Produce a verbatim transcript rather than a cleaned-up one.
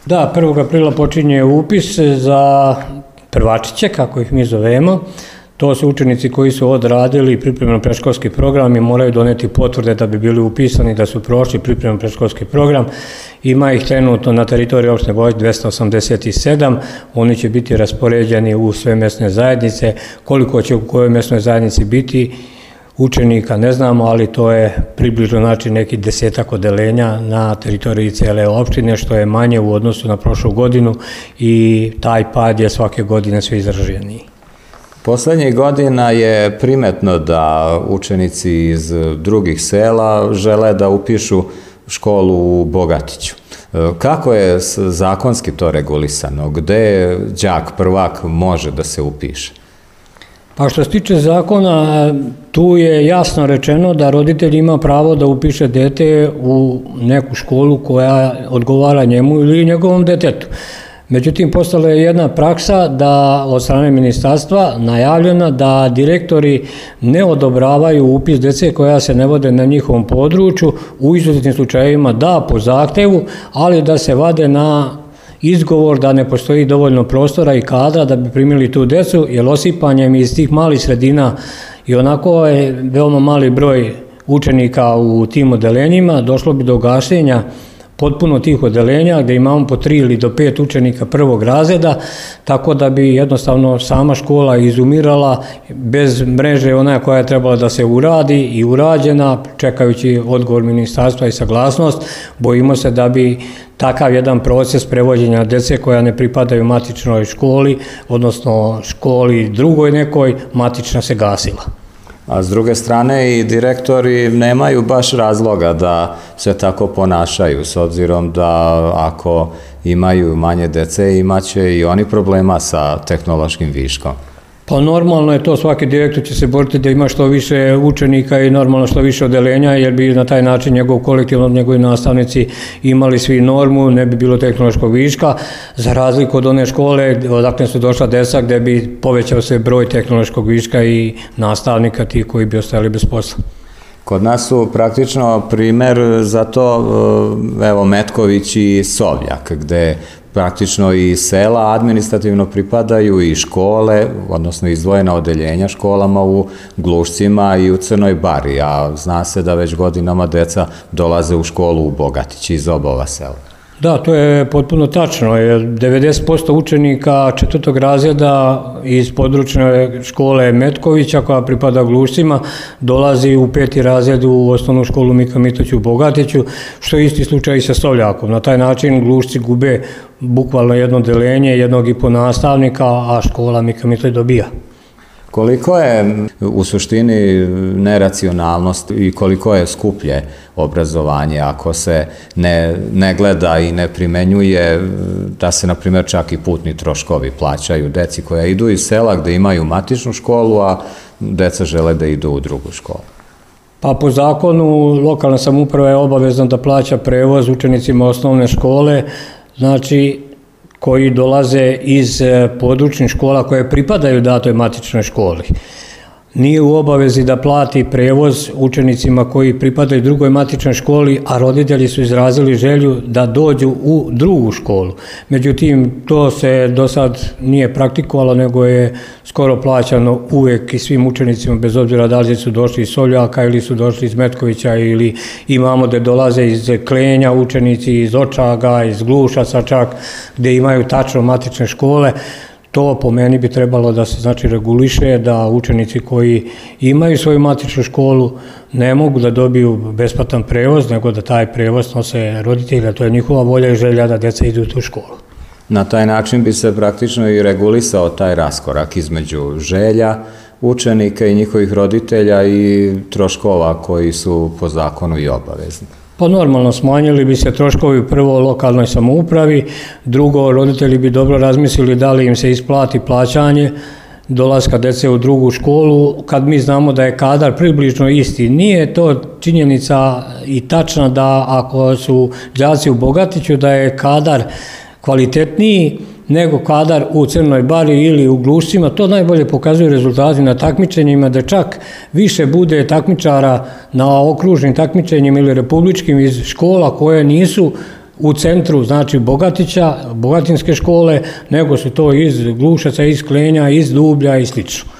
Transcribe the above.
Da, prvog aprila počinje upis za prvačiće, kako ih mi zovemo. To su učenici koji su odradili pripremno predškolski program i moraju doneti potvrde da bi bili upisani, da su prošli pripremno predškolski program. Ima ih trenutno na teritoriji opštine Bogatić dvesta osamdeset sedam, oni će biti raspoređeni u sve mesne zajednice. Koliko će u kojoj mesnoj zajednici biti učenika ne znamo, ali to je približno znači neki desetak odeljenja na teritoriji cele opštine, što je manje u odnosu na prošlu godinu i taj pad je svake godine sve izraženiji. Poslednjih godina je primetno da učenici iz drugih sela žele da upišu školu u Bogatiću. Kako je zakonski to regulisano? Gde đak prvak može da se upiše? Pa što se tiče zakona, tu je jasno rečeno da roditelj ima pravo da upiše dete u neku školu koja odgovara njemu ili njegovom detetu. Međutim, postala je jedna praksa da od strane ministarstva najavljena da direktori ne odobravaju upis dece koja se ne vode na njihovom području, u izuzetnim slučajevima da po zahtevu, ali da se vade na izgovor da ne postoji dovoljno prostora i kadra da bi primili tu decu, jer osipanjem iz tih malih sredina i onako je veoma mali broj učenika u tim odeljenjima, došlo bi do gašenja potpuno tih odeljenja gde imamo po tri ili do pet učenika prvog razreda, tako da bi jednostavno sama škola izumirala bez mreže ona koja je trebala da se uradi i urađena, čekajući odgovor ministarstva i saglasnost. Bojimo se da bi takav jedan proces prevođenja dece koja ne pripadaju matičnoj školi, odnosno školi drugoj nekoj, matična se gasila. A s druge strane i direktori nemaju baš razloga da se tako ponašaju, s obzirom da ako imaju manje dece imaće i oni problema sa tehnološkim viškom. Pa normalno je to, svaki direktor će se boriti da ima što više učenika i normalno što više odeljenja, jer bi na taj način njegov kolektiv, njegovi nastavnici imali svi normu, ne bi bilo tehnološkog viška, za razliku od one škole odakle su došla deca gde bi povećao se broj tehnološkog viška i nastavnika tih koji bi ostajali bez posla. Kod nas su praktično primer za to, evo, Metković i Sovljak, gde praktično i sela administrativno pripadaju i škole, odnosno izdvojena odeljenja školama u Glušcima i u Crnoj Bari, a zna se da već godinama deca dolaze u školu u Bogatić iz oba ova sela. Da, to je potpuno tačno, jer devedeset posto učenika četvrtog razreda iz područne škole Metkovića, koja pripada Glušcima, dolazi u peti razred u osnovnu školu Mika Mitović u Bogatiću, što je isti slučaj i sa Sovljakom. Na taj način Glušci gube bukvalno jedno odeljenje, jednog i po nastavnika, a škola Mika Mitović dobija. Koliko je u suštini neracionalnost i koliko je skuplje obrazovanje ako se ne, ne gleda i ne primenjuje da se, na primjer, čak i putni troškovi plaćaju deci koja idu iz sela gde imaju matičnu školu, a deca žele da idu u drugu školu? Pa po zakonu lokalna samouprava je obavezna da plaća prevoz učenicima osnovne škole, znači koji dolaze iz područnih škola koje pripadaju datoj matičnoj školi. Nije u obavezi da plati prevoz učenicima koji pripadaju drugoj matičnoj školi, a roditelji su izrazili želju da dođu u drugu školu. Međutim, to se do sad nije praktikovalo, nego je skoro plaćano uvek i svim učenicima, bez obzira da li su došli iz Sovljaka ili su došli iz Metkovića, ili imamo da dolaze iz Klenja učenici, iz Očaga, iz Glušaca čak, gde imaju tačno matične škole. To po meni bi trebalo da se znači reguliše, da učenici koji imaju svoju matičnu školu ne mogu da dobiju besplatan prevoz, nego da taj prevoz nose roditelji, to je njihova volja i želja da deca idu u tu školu. Na taj način bi se praktično i regulisao taj raskorak između želja učenika i njihovih roditelja i troškova koji su po zakonu i obavezni. Pa normalno, smanjili bi se troškovi prvo lokalnoj samoupravi, drugo, roditelji bi dobro razmislili da li im se isplati plaćanje dolaska dece u drugu školu, kad mi znamo da je kadar približno isti. Nije to činjenica i tačna da ako su đaci u Bogatiću da je kadar kvalitetniji nego kadar u Crnoj Bari ili u Glušcima. To najbolje pokazuju rezultati na takmičenjima, da čak više bude takmičara na okružnim takmičenjima ili republičkim iz škola koje nisu u centru, znači Bogatića, Bogatinske škole, nego su to iz Glušaca, iz Klenja, iz Dublja i slično.